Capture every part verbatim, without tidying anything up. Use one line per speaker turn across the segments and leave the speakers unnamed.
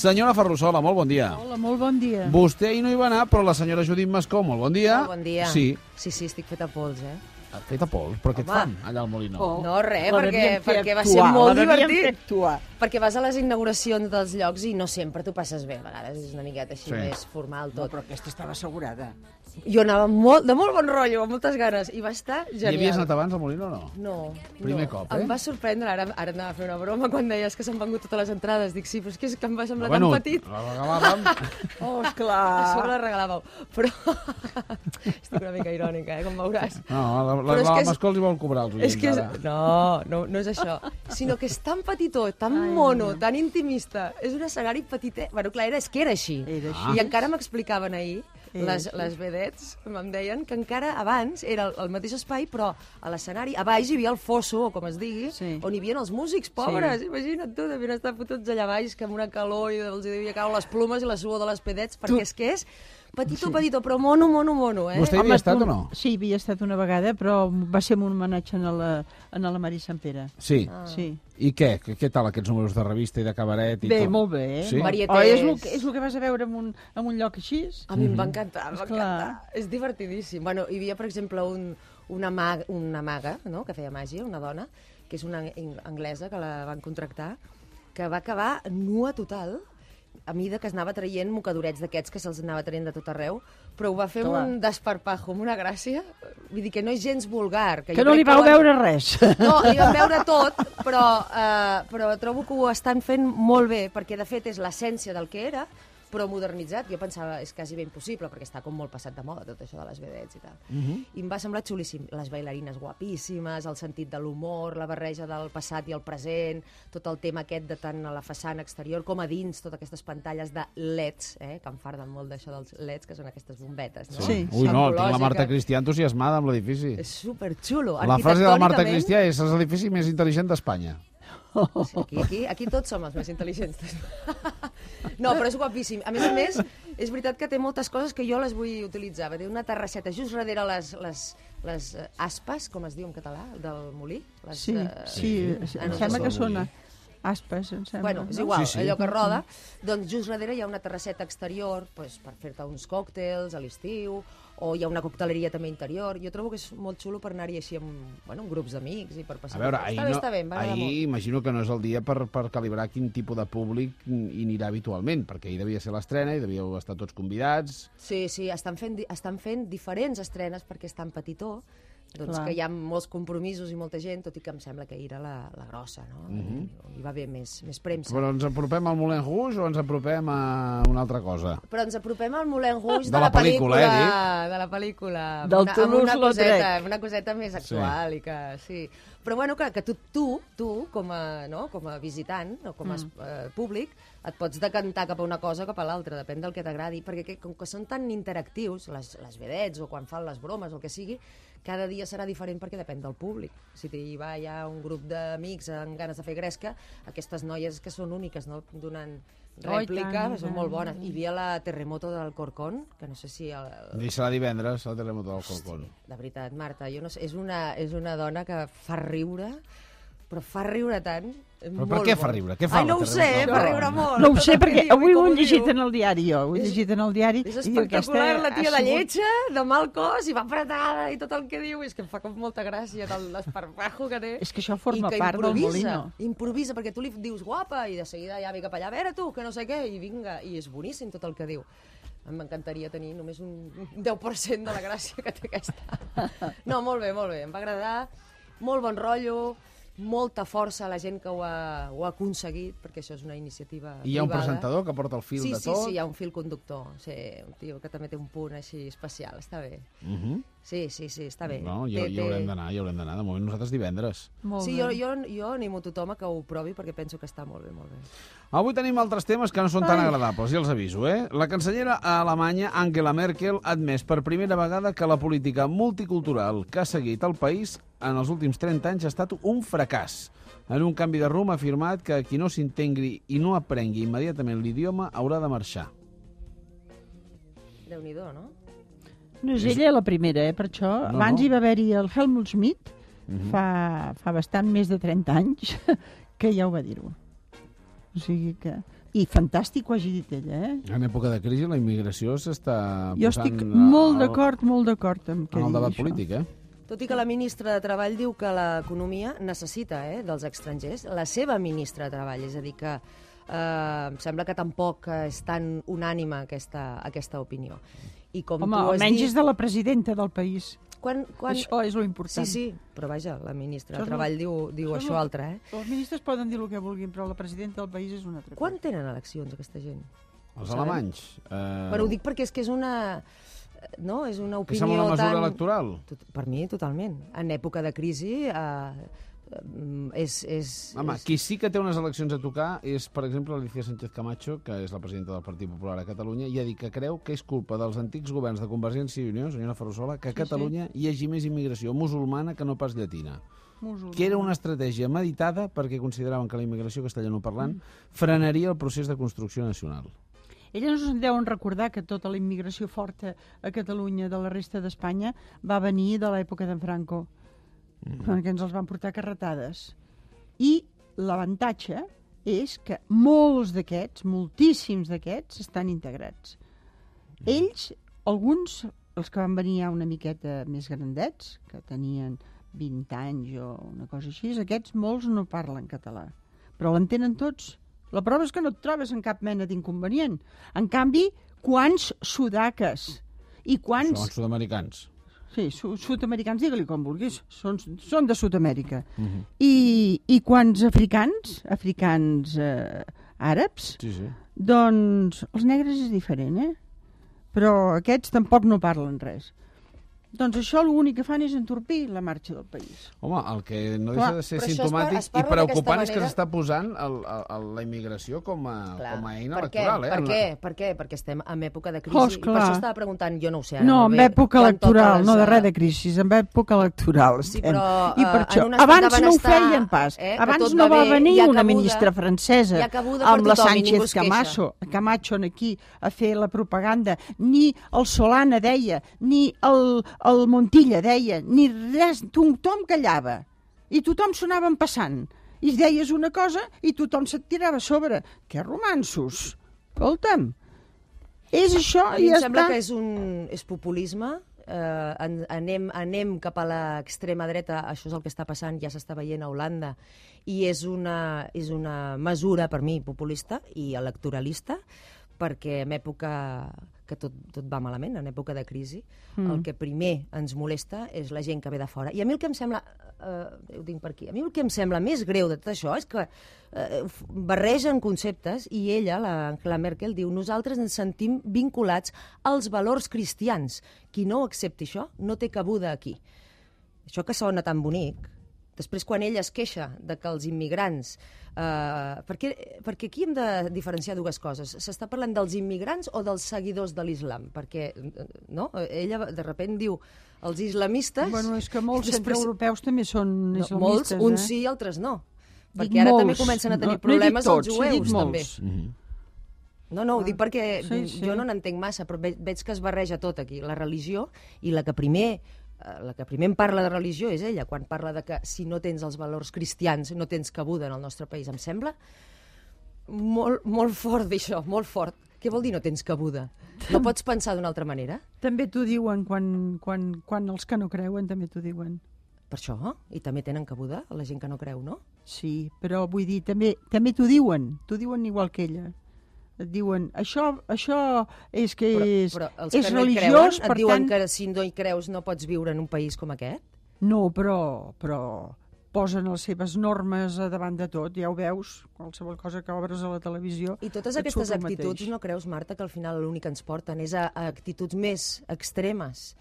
Senyora Ferrusola, molt bon dia.
Hola, molt bon dia.
Vostè ahir no hi va anar, però la senyora Judit Mascó, molt bon dia.
Molt bon dia.
Sí.
Sí, sí, estic feta pols, eh?
Feta pols, però què et
Home.
fan allà al Molino?
Oh.
No, res,
La
perquè,
devien fer
perquè va
actuar,
ser molt
la devien
divertit.
fer actuar.
Perquè vas a les inauguracions dels llocs i no sempre t'ho passes bé, a vegades és una miqueta així
Sí.
més formal
No,
tot.
però aquesta estava assegurada.
Jo anava molt, de molt bon rotllo, amb moltes ganes, i va estar
Hi
genial.
havies anat abans al Molino o no?
No,
Primer
no.
cop, eh?
Em va sorprendre, ara, ara anava a fer una broma quan deies que s'han vengut totes les entrades. Dic, sí, però és que, és que em va semblar
bueno,
tan petit.
la regalàvem.
Oh,
A
esclar.
sobre la regalàveu. Però estic una mica irònica, eh, com veuràs.
No, la, la,
Però és
la
que és-
Mascó els hi vol cobrar els oients,
És que és...
ara.
No, no, no és això. Sinó que és tan petitó, tan
Ai,
mono,
no.
tan intimista. És un escenari petitet. Bueno, clar, era, és que era així.
Era així.
I encara m'explicaven ahir,
Era
les,
així.
les vedets, em deien que encara abans era el, el mateix espai, però a l'escenari, a baix hi havia el fosso, o com es digui,
Sí.
on hi havia els músics, pobres. Sí. Imagina't tu, devien estar fotuts allà baix, que amb una calor i els devia caure les plumes i la suor de les vedets, perquè
Tu-
és que és petitó, petitó, però mono, mono, mono, eh?
Vostè hi havia estat o no?
Sí, havia estat una vegada, però va ser un homenatge a la, a la Mari Sant Pere.
Sí.
Ah.
Sí.
I què? Què, què tal aquests números de revista i de cabaret? I
Bé,
tot?
molt bé. Eh?
Sí?
Molt-
Varietés.
Oh, és, el, que- és el que vas a veure en un, en un lloc així?
A mi em va encantar, em va
Esclar.
encantar. És divertidíssim. Bueno, hi havia, per exemple, un, una, maga, una maga, no?, que feia màgia, una dona, que és una ang- anglesa que la van contractar, que va acabar nua total, a mida que es anava traient mocadorets d'aquests que se'ls anava traient de tot arreu, però ho va fer
Clar.
amb un desparpajo, amb una gràcia. Vull dir que no és gens vulgar. Que,
Que
jo
no
crec
li vau
ho han-
veure res.
No, li vam veure tot, però, eh, però trobo que ho estan fent molt bé, perquè de fet és l'essència del que era, però modernitzat. Jo pensava, és quasi ben impossible, perquè està com molt passat de moda tot això de les vedets i tal. Uh -huh. I em va semblar xulíssim. Les bailarines guapíssimes, el sentit de l'humor, la barreja del passat i el present, tot el tema aquest de tant a la façana exterior com a dins, totes aquestes pantalles de L E Ds, eh, que em farden molt d'això dels L E Ds, que són aquestes bombetes, no?
Sí.
Ui, no, tinc la
Ecològica.
Marta Cristià entusiasmada amb l'edifici.
És superxulo.
La frase de la Marta
Arquitectònicament,
Cristià és l'edifici més intel·ligent d'Espanya.
Sí, aquí, aquí, aquí tots som els més intel·ligents. No, però és guapíssim. A més a més, és veritat que té moltes coses que jo les vull utilitzar. Té una terrasseta just darrere les, les, les eh, aspes, com es diu en català, del molí. Les,
Sí,
eh,
sí,
ah,
em
no,
sembla
no
que
sé.
són aspes, em sembla.
Bueno, és
no?
igual,
Sí, sí.
allò que roda. Doncs just darrere hi ha una terrasseta exterior pues, per fer-te uns còctels a l'estiu, o hi ha una cocteleria també interior. Jo trobo que és molt xulo per anar-hi així amb, bueno, amb grups d'amics i per passar.
A veure,
està
ahir,
bé,
no,
està bé, em va agradar
ahir
molt.
imagino que no és el dia per, per calibrar quin tipus de públic hi anirà habitualment, perquè ahir devia ser l'estrena i devíeu estar tots convidats.
Sí, sí, estan fent, di- estan fent diferents estrenes perquè és tan petitó, doncs
Clar.
que hi ha molts compromisos i molta gent, tot i que em sembla que ahir era la, la grossa, no?
Mhm.
Hi va haver més, més premsa.
Però ens apropem al Moulin Rouge o ens apropem a una altra cosa?
Però ens apropem al Moulin Rouge
De
de,
la
la
pel·lícula,
pel·lícula, de la pel·lícula. amb
Del
una, amb una
Toulouse-Lautrec.
coseta, amb una coseta més actual i que sí. Però bueno, que, que tu, tu, tu com, a, no, com a visitant o com a mm. eh, públic, et pots decantar cap a una cosa o cap a l'altra, depèn del que t'agradi, perquè que, com que són tan interactius, les, les vedets o quan fan les bromes o el que sigui, cada dia serà diferent perquè depèn del públic. Si hi va hi ha un grup d'amics amb ganes de fer gresca, aquestes noies que són úniques, no? Donant rèplica,
tant, i
són
tant.
molt bones. Hi havia la Terremoto del Corcón, que no sé si... El, el,
I serà divendres, el terremoto del Colcón.
de veritat, Marta, jo no sé, és una, és una dona que fa riure, però fa riure tant.
Però per què fa riure? Què fa
Ai, no
la
ho sé,
Terremoto del
fa
Corcón?
riure molt.
No ho sé,
Tot el que
perquè
diu i
avui ho
com
he llegit
diu.
en el diari, jo. Ho he
És-
llegit en el diari.
És
i diu, aquesta
espectacular, la tia
ha
de
sigut-
lletja, de mal cos, i va apretada, i tot el que diu, és que em fa com molta gràcia, del l'esparpajo que té.
És que això forma
I que
part del
improvisa,
Molino.
Improvisa, perquè tu li dius guapa, i de seguida ja ve cap allà, a veure tu, que no sé què, i vinga, i és boníssim tot el que diu. M'encantaria tenir només un deu per cent de la gràcia que té aquesta. No, molt bé, molt bé, em va agradar, molt bon rotllo, molta força a la gent que ho ha, ho ha aconseguit, perquè això és una iniciativa
I hi ha un
privada.
presentador que porta el fil
sí,
de
sí,
tot?
Sí, sí, hi ha un fil conductor, sí, un tio que també té un punt així especial, està bé.
Uh -huh.
Sí, sí, sí, està bé.
No, hi,
Té-
hi
té-
haurem d'anar, hi haurem d'anar. De moment nosaltres divendres.
Molt
Sí,
bé.
jo, jo, jo animo tothom a que ho provi perquè penso que està molt bé, molt bé.
Avui tenim altres temes que no són tan
Ai.
agradables, ja els aviso, eh? La cancellera alemanya Angela Merkel ha admès per primera vegada que la política multicultural que ha seguit el país en els últims trenta anys ha estat un fracàs. En un canvi de rumb ha afirmat que qui no s'integri i no aprengui immediatament l'idioma haurà de marxar.
Déu-n'hi-do, no?
No és ella la primera, eh, per això.
No,
Abans
no.
hi va haver-hi el Helmut Schmidt,
Mhm.
fa, fa bastant més de trenta anys, que ja ho va dir-ho. O sigui que... I fantàstic ho hagi dit ella, eh?
En època de crisi la immigració s'està posant...
Jo estic molt d'acord, molt d'acord amb què
en el
digui
debat
això.
polític, eh?
Tot i que la ministra de Treball diu que l'economia necessita eh, dels estrangers, la seva ministra de Treball, és a dir, que eh, em sembla que tampoc és tan unànime aquesta, aquesta opinió. I com
Home,
tu has
almenys
dit,
és de la presidenta del país.
Quan, quan...
Això és lo important.
Sí, sí, però vaja, la ministra
Això
de
és
Treball
lo-
diu, diu
això és
això
lo-
altre, eh?
Els ministres poden dir el que vulguin, però la presidenta del país és una altra
Quan
cosa.
tenen eleccions, aquesta gent?
Els
Ho sabem?
alemanys. Eh...
Però ho dic perquè és que és una... No? És una
Que
opinió
sembla una mesura
tan...
electoral.
Tot, per mi, totalment. En època de crisi eh, és... és,
Home,
és...
qui sí que té unes eleccions a tocar és, per exemple, Alicia Sánchez Camacho, que és la presidenta del Partit Popular a Catalunya, i ha dit que creu que és culpa dels antics governs de Convergència i Unió, senyora Ferrusola, que a
Sí,
Catalunya hi hagi més immigració musulmana que no pas llatina.
Musulmà.
Que era una estratègia meditada perquè consideraven que la immigració castellanoparlant frenaria el procés de construcció nacional.
Elles no se'n deuen recordar que tota la immigració forta a Catalunya de la resta d'Espanya va venir de l'època d'en Franco, mm. perquè ens els van portar carretades. I l'avantatge és que molts d'aquests, moltíssims d'aquests, estan integrats. Ells, alguns, els que van venir ja una miqueta més grandets, que tenien vint anys o una cosa així, aquests molts no parlen català, però l'entenen tots. La prova és que no et trobes en cap mena d'inconvenient. En canvi, quants sudaques i quants...
Són sud-americans.
Sí, su sud-americans, digue-li com vulguis, són, són de Sud-amèrica.
Uh -huh.
I, I quants africans, africans eh, àrabs,
Sí, sí.
doncs els negres és diferent, eh? Però aquests tampoc no parlen res. Doncs això l'únic que fan és entorpir la marxa del país.
Home, el que no
Clar,
deixa de ser
però això es par-
simptomàtic
es
i
parla
preocupant
d'aquesta
és que
manera-
s'està posant el, el, el, la immigració com a,
Clar.
com a eina
per
electoral.
Què?
Eh?
Per
En la-
què? Per què? Perquè estem en època de crisi.
Oh,
I per
esclar.
això estava preguntant, jo no ho sé ara
No,
molt
en
bé,
època
quan
electoral,
toca les,
no de res
eh,
de crisi, en època electoral.
Sí,
estem.
però,
I per
eh,
això,
en un estat de
abans no ho
benestar,
feien pas.
eh, que
Abans
tot
no
va
va
bé,
venir
hi ha
una
cabuda-
ministra francesa
hi ha cabuda per
amb la
tothom i ningú
Sánchez
es queixa.
Camacho, Camacho aquí a fer la propaganda, ni el Solana deia, ni el, el Montilla deia, ni res, tothom callava. I tothom s'anaven passant. I deies una cosa i tothom se't tirava a sobre. Que romansos! Escolta'm, és això
A
i
mi em
ja
sembla
està.
que és un és populisme, eh, en, anem, anem cap a l'extrema dreta, això és el que està passant, ja s'està veient a Holanda, i és una, és una mesura, per mi, populista i electoralista, perquè en època que tot, tot va malament, en època de crisi, mm. el que primer ens molesta és la gent que ve de fora. I a mi el que em sembla, eh, ho tinc per aquí, a mi el que em sembla més greu de tot això és que eh, barregen conceptes i ella, la Angela Merkel, diu nosaltres ens sentim vinculats als valors cristians. Qui no accepti això no té cabuda aquí. Això que sona tan bonic, després quan ella es queixa de que els immigrants... Eh, perquè, perquè aquí hem de diferenciar dues coses. S'està parlant dels immigrants o dels seguidors de l'islam? Perquè no? Ella de sobte diu els islamistes...
Bueno, és que molts
després-
centreeuropeus també són
no,
islamistes.
molts, uns
eh?
sí i altres no.
Dic
Perquè ara
molts.
també comencen a tenir
No, no he dit
problemes
tots,
els
he dit
jueus, també.
molts.
Uh -huh.
No, no, ho dic perquè
Sí, sí.
jo no n'entenc massa, però ve- veig que es barreja tot aquí, la religió, i la que primer eh, la que primer em parla de religió és ella, quan parla de que si no tens els valors cristians no tens cabuda en el nostre país. Em sembla molt, molt fort d'això, molt fort. Què vol dir no tens cabuda? No pots pensar d'una altra manera?
També t'ho diuen quan, quan, quan els que no creuen també t'ho diuen.
Per això, i també tenen cabuda la gent que no creu, no?
Sí, però vull dir, també també t'ho diuen, t'ho diuen igual que ella. Et diuen, això, això és que
Però,
és,
però els
és
que no hi creuen
religiós,
et
per
diuen
tant...
que si no hi creus no pots viure en un país com aquest?
No, però, però posen les seves normes a davant de tot, ja ho veus, qualsevol cosa que obres a la televisió...
I totes
et
aquestes
surt el
actituds,
mateix.
no creus, Marta, que al final l'únic que ens porten és a, a actituds més extremes,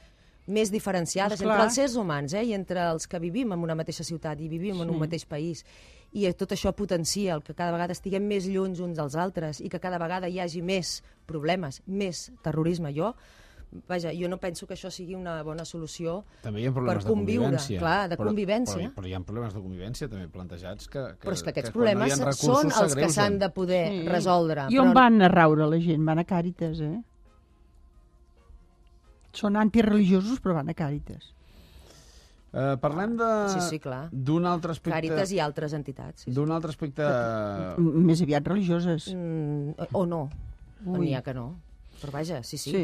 més diferenciades
Esclar.
entre els éssers humans, eh, i entre els que vivim en una mateixa ciutat i vivim sí. en un mateix país. I tot això potencia el que cada vegada estiguem més lluny uns dels altres i que cada vegada hi hagi més problemes, més terrorisme. Jo, vaja, jo no penso que això sigui una bona solució
També hi ha problemes
per conviure,
de convivència.
clar, de
però,
convivència.
Però, però hi ha problemes de convivència també plantejats que, que,
Però és que aquests
quan no hi
problemes
ha recursos
són els que
s'agreugen.
s'han de poder
Sí.
resoldre.
I on van a raure la gent? Van a Càritas, eh? Són antireligiosos, però van a Càritas.
Uh, parlem de...
Sí, sí, clar.
D'un altre aspecte...
Càritas i altres entitats. Sí, sí.
D'un altre aspecte...
Més aviat religioses.
Mm, o no.
Ui.
N'hi ha que no. Però vaja, sí, sí.
Sí.